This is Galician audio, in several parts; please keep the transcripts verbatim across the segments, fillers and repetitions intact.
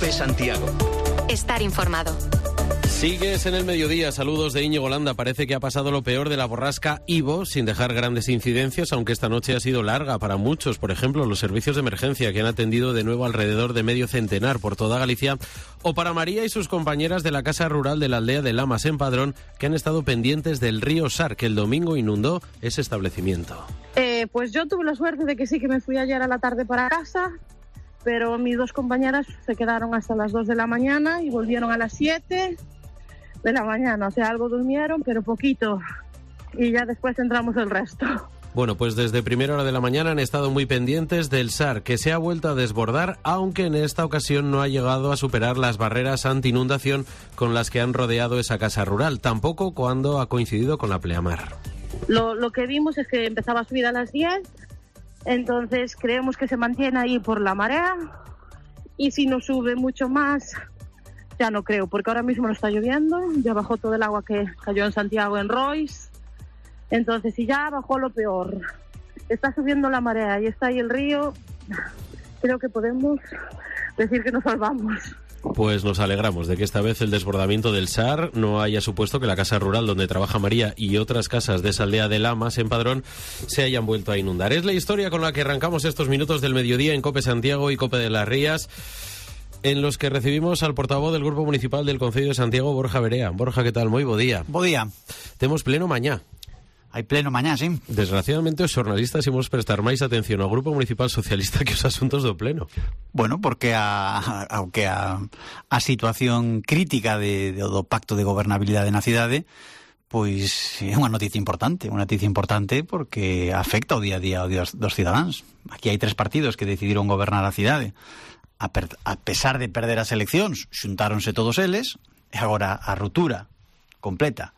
COPE Santiago. Estar informado. Sigues en el mediodía. Saludos de Íñigo Landa. Parece que ha pasado lo peor de la borrasca Ivo sin dejar grandes incidencias, aunque esta noche ha sido larga para muchos. Por ejemplo, los servicios de emergencia que han atendido de nuevo alrededor de medio centenar por toda Galicia, o para María y sus compañeras de la Casa Rural de la aldea de Lamas en Padrón, que han estado pendientes del río Sar, que el domingo inundó ese establecimiento. Eh, pues yo tuve la suerte de que sí que me fui ayer a la tarde para casa, pero mis dos compañeras se quedaron hasta las dos de la mañana y volvieron a las siete de la mañana, o sea, algo durmieron, pero poquito, y ya después entramos el resto. Bueno, pues desde primera hora de la mañana han estado muy pendientes del Sar, que se ha vuelto a desbordar, aunque en esta ocasión no ha llegado a superar las barreras anti-inundación con las que han rodeado esa casa rural, tampoco cuando ha coincidido con la pleamar. Lo, lo que vimos es que empezaba a subir a las diez, entonces creemos que se mantiene ahí por la marea, y si no sube mucho más, ya no creo, porque ahora mismo no está lloviendo, ya bajó todo el agua que cayó en Santiago, en Rois, entonces si ya bajó lo peor, está subiendo la marea y está ahí el río, creo que podemos decir que nos salvamos. Pues nos alegramos de que esta vez el desbordamiento del Sar no haya supuesto que la casa rural donde trabaja María y otras casas de esa aldea de Lamas en Padrón se hayan vuelto a inundar. Es la historia con la que arrancamos estos minutos del mediodía en COPE Santiago y COPE de las Rías, en los que recibimos al portavoz del Grupo Municipal del Concello de Santiago, Borja Verea. Borja, ¿qué tal? Moi bo día. Bo día. Temos pleno mañá. Hai pleno mañá, sí. Desgraciadamente os xornalistas imos prestar máis atención ao Grupo Municipal Socialista que os asuntos do pleno. Bueno, porque a, a, aunque a, a situación crítica de, de, do Pacto de Gobernabilidade na cidade, pois é unha noticia importante, unha noticia importante porque afecta o día a día dos, dos cidadáns. Aquí hai tres partidos que decidiron gobernar a cidade. A, per, a pesar de perder as eleccións, xuntáronse todos eles, e agora a ruptura completa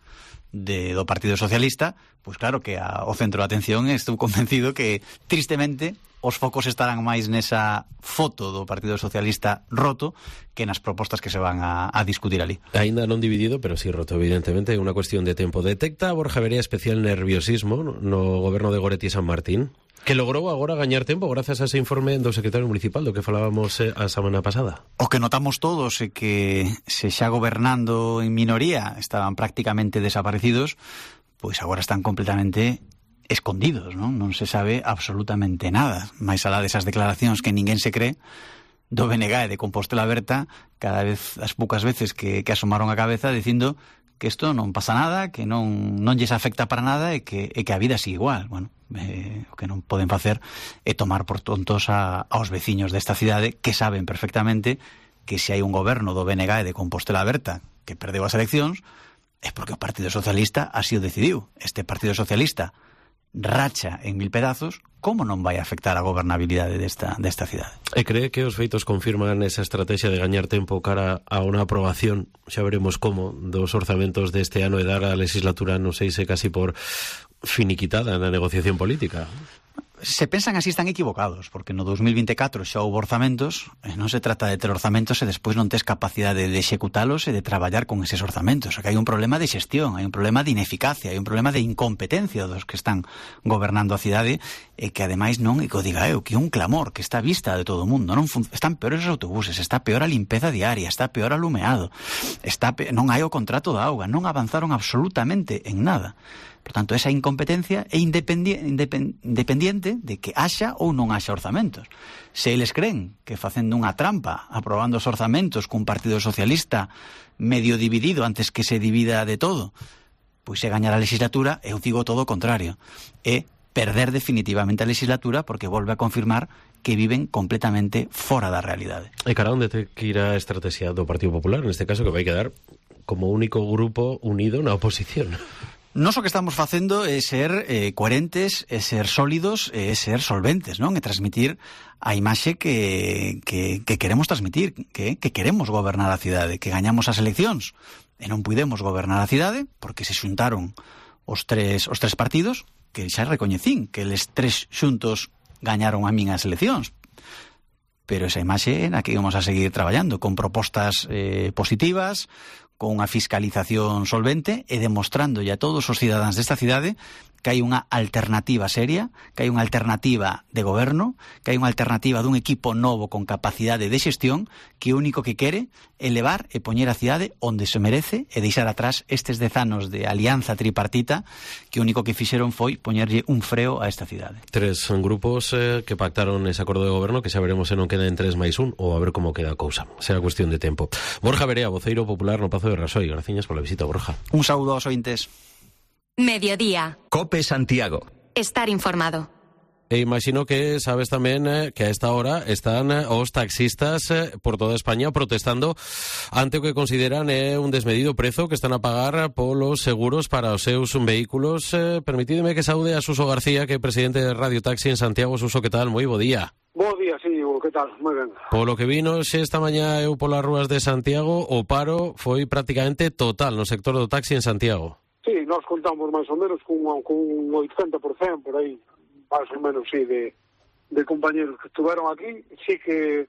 de, do Partido Socialista, pois claro que a, o centro de atención estou convencido que, tristemente, os focos estarán máis nesa foto do Partido Socialista roto que nas propostas que se van a, a discutir ali. Ainda non dividido, pero sí roto, evidentemente, é unha cuestión de tempo. Detecta Borja Verea especial nerviosismo no goberno de Goretti e San Martín, que logrou agora gañar tempo grazas a ese informe do secretario municipal do que falábamos eh, a semana pasada. O que notamos todos é que se xa gobernando en minoría estaban prácticamente desaparecidos, pois agora están completamente escondidos, non? Non se sabe absolutamente nada. Mais alá desas declaracións que ninguén se cree do B N G e de Compostela Berta, cada vez, as poucas veces que, que asomaron a cabeza dicindo que isto non pasa nada, que non non lles afecta para nada e que, e que a vida sigue igual. Bueno, eh, o que non poden facer é tomar por tontos a, aos veciños desta cidade que saben perfectamente que se hai un goberno do B N G e de Compostela Berta que perdeu as eleccións é porque o Partido Socialista así o decidiu. Este Partido Socialista racha en mil pedazos, como non vai afectar a gobernabilidade desta, desta cidade? E cree que os feitos confirman esa estrategia de gañar tempo cara a unha aprobación, xa veremos como, dos orzamentos deste ano e dar a legislatura, non sei se casi por finiquitada na negociación política? Se pensan así están equivocados, porque no dos mil vinte e catro xa houve orzamentos, e non se trata de ter orzamentos e despois non tes capacidade de executalos e de traballar con eses orzamentos. O que hai un problema de xestión, hai un problema de ineficacia, hai un problema de incompetencia dos que están gobernando a cidade e que ademais non, e que o diga eu, que é un clamor que está a vista de todo o mundo. Non fun- están peores os autobuses, está peor a limpeza diaria, está peor o alumeado, está pe- non hai o contrato da auga, non avanzaron absolutamente en nada. Por tanto, esa incompetencia é independi- independ- independiente de que haxa ou non haxa orzamentos. Se eles creen que facendo unha trampa, aprobando os orzamentos cun Partido Socialista medio dividido antes que se divida de todo, pois se gañar a legislatura, eu digo todo o contrario. É perder definitivamente a legislatura porque volve a confirmar que viven completamente fora da realidade. E cara, onde te que ir a estrategia do Partido Popular, neste caso, que vai quedar como único grupo unido na oposición? Nos o que estamos facendo é ser eh, coherentes, é ser sólidos, é ser solventes, non? E transmitir a imaxe que, que, que queremos transmitir, que, que queremos gobernar a cidade, que gañamos as eleccións e non puidemos gobernar a cidade porque se xuntaron os tres, os tres partidos que xa recoñecín que eles tres xuntos gañaron a min as eleccións. Pero esa imaxe na que íbamos a seguir traballando con propostas eh, positivas, con unha fiscalización solvente e demostrando a todos os cidadáns desta cidade que hai unha alternativa seria, que hai unha alternativa de goberno, que hai unha alternativa dun equipo novo con capacidade de xestión que o único que quere é levar e poñer a cidade onde se merece e deixar atrás estes dez anos de alianza tripartita que o único que fixeron foi poñerlle un freo a esta cidade. Tres grupos eh, que pactaron ese acordo de goberno que xa veremos se non queda en tres máis un ou a ver como queda a cousa. Será cuestión de tempo. Borja Verea, voceiro popular no Pazo de Rasoy. Graciñas pola visita, Borja. Un saúdo aos ointes. Mediodía. Cope Santiago. Estar informado. E imagino que sabes tamén eh, que a esta hora están eh, os taxistas eh, por toda España protestando ante o que consideran eh, un desmedido prezo que están a pagar polos seguros para os seus vehículos. Eh, permitídeme que saúde a Suso García, que é presidente de Radio Taxi en Santiago. Suso, que tal? Moi bo día. Bo día, sí, que tal? Moi ben. Polo que vino xe esta mañá eu polas rúas de Santiago, o paro foi prácticamente total no sector do taxi en Santiago. Sí, nós contamos máis ou menos con, con un oitenta por cento por aí, máis ou menos, sí, de, de compañeros que estuveron aquí. Sí que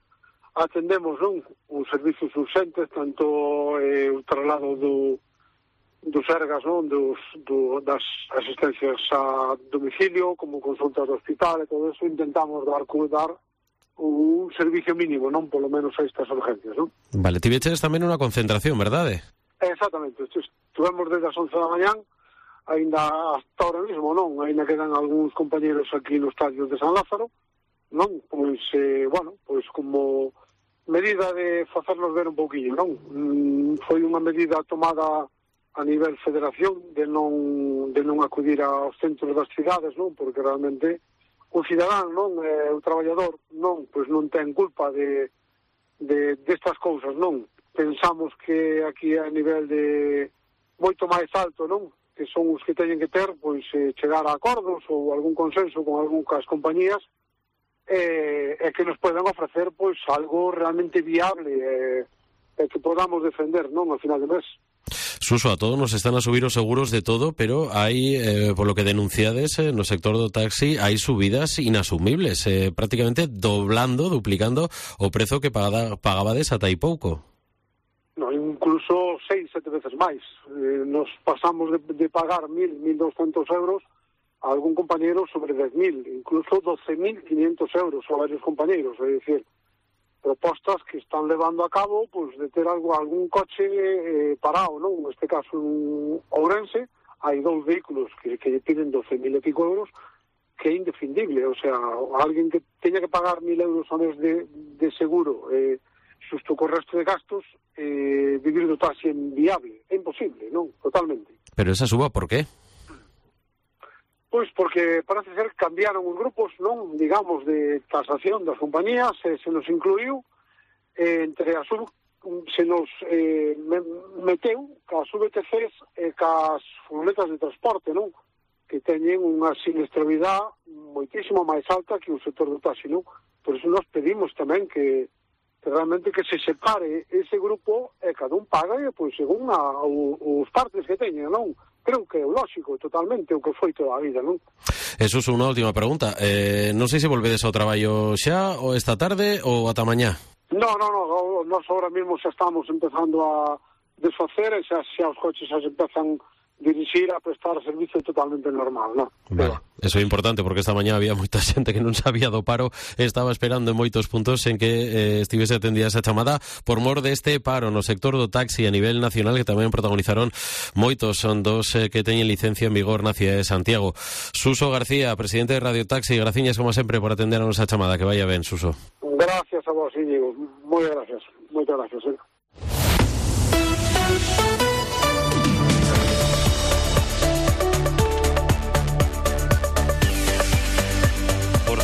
atendemos, non, os servicios urgentes, tanto eh, o traslado do, dos ergas, non, dos, do, das asistencias a domicilio, como consultas do hospital e todo eso, intentamos dar, dar un servicio mínimo, non, polo menos a estas urgencias, non? Vale, tiveches tamén unha concentración, verdade? Exactamente, estivemos desde as once da mañán, ainda hasta ahora mismo, non? Ainda quedan algúns compañeros aquí no estadio de San Lázaro, non? Pois, eh, bueno, pois como medida de facernos ver un pouquinho, non? Mm, foi unha medida tomada a nivel federación de non, de non acudir aos centros das cidades, non? Porque realmente o cidadán, non? Eh, o traballador, non? Pois non ten culpa de, de destas cousas, non? Pensamos que aquí a nivel de moito máis alto, non? Que son os que teñen que ter, pois, eh, chegar a acordos ou algún consenso con algunhas compañías e eh, que nos poden ofrecer, pois, algo realmente viable e eh, que podamos defender, non? Ao final de mes. Suso, a todos nos están a subir os seguros de todo, pero hai, eh, por lo que denunciades, eh, no sector do taxi, hai subidas inasumibles, eh, prácticamente doblando, duplicando o prezo que pagada, pagabades ata hai pouco. No, incluso seis, sete veces máis. Eh, nos pasamos de, de pagar mil, mil doscientos euros a algún compañero sobre dez mil, incluso doce mil quinientos euros a varios compañeros. É dicir, propostas que están levando a cabo, pues, de ter algo, algún coche eh, parado, non? Neste caso, en Ourense, hai dous vehículos que, que lle piden doce mil e pico euros, que é indefendible. O sea, alguén que teña que pagar mil euros a mes de, de seguro, eh, xusto co resto de gastos, eh, vivir do taxi é inviable, é imposible, non? Totalmente. Pero esa suba, por qué? Pois porque parece ser que cambiaron os grupos, non? Digamos, de tasación das compañías, e se nos incluiu eh, entre as sub, se nos eh, meteu cas V T Cs e cas furgonetas de transporte, non? Que teñen unha siniestralidade moitísimo máis alta que o sector do taxi, non? Por iso nos pedimos tamén que que realmente que se separe ese grupo e cada un paga e, pois, según a, o, os partes que teñen, non? Creo que é lógico totalmente o que foi toda a vida, non? Eso é unha última pregunta. Eh, non sei se volvedes ao traballo xa ou esta tarde ou ata mañá. No, no, no, nós ahora mismo xa estamos empezando a desfacer e xa, xa os coches xa se empezan dirixir a prestar servicio totalmente normal, non? Vale, eso é importante porque esta mañá había moita xente que non sabía do paro, estaba esperando en moitos puntos en que eh, estivese atendida esa chamada por mor deste paro no sector do taxi a nivel nacional que tamén protagonizaron moitos son dos eh, que teñen licencia en vigor na cidade de Santiago. Suso García, presidente de Radio Taxi, graciñas como sempre por atender a nosa chamada, que vaya ben, Suso. Gracias a vos, Íñigo, moi gracias, moitas gracias, eh.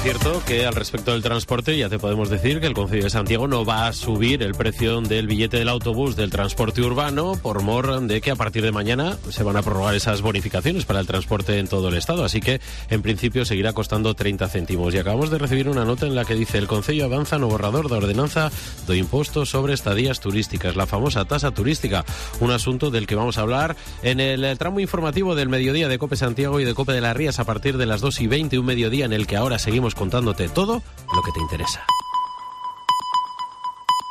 Cierto que al respecto del transporte ya te podemos decir que el Concello de Santiago no va a subir el precio del billete del autobús del transporte urbano por mor de que a partir de mañana se van a prorrogar esas bonificaciones para el transporte en todo el estado, así que en principio seguirá costando treinta céntimos. Y acabamos de recibir una nota en la que dice: el Concello avanza no borrador da ordenanza do imposto sobre estadías turísticas, la famosa tasa turística, un asunto del que vamos a hablar en el tramo informativo del mediodía de Cope Santiago y de Cope de las Rías a partir de las dos y veinte, un mediodía en el que ahora seguimos contándote todo lo que te interesa.